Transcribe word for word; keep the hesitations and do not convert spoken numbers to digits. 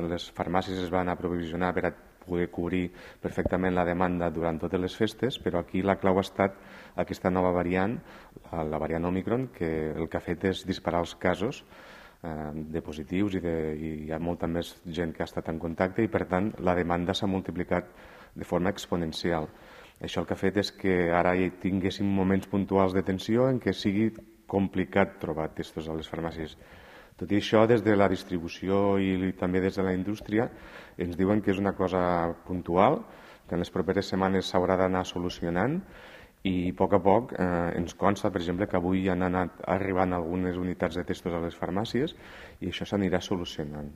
les farmàcies es van aprovisionar per a poder cobrir perfectament la demanda durant totes les festes, però aquí la clau ha estat aquesta nova variant, la variant Omicron, que el que ha fet és disparar els casos eh, de positius i, de, i hi ha molta més gent que ha estat en contacte i, per tant, la demanda s'ha multiplicat de forma exponencial. Això el que ha fet és que ara hi tinguéssim moments puntuals de tensió en què sigui complicat trobar testos a les farmàcies. Tot i això, des de la distribució i també des de la indústria, ens diuen que és una cosa puntual, que en les properes setmanes s'haurà d'anar solucionant i a poc a poc eh, ens consta, per exemple, que avui han anat arribant algunes unitats de testos a les farmàcies i això s'anirà solucionant.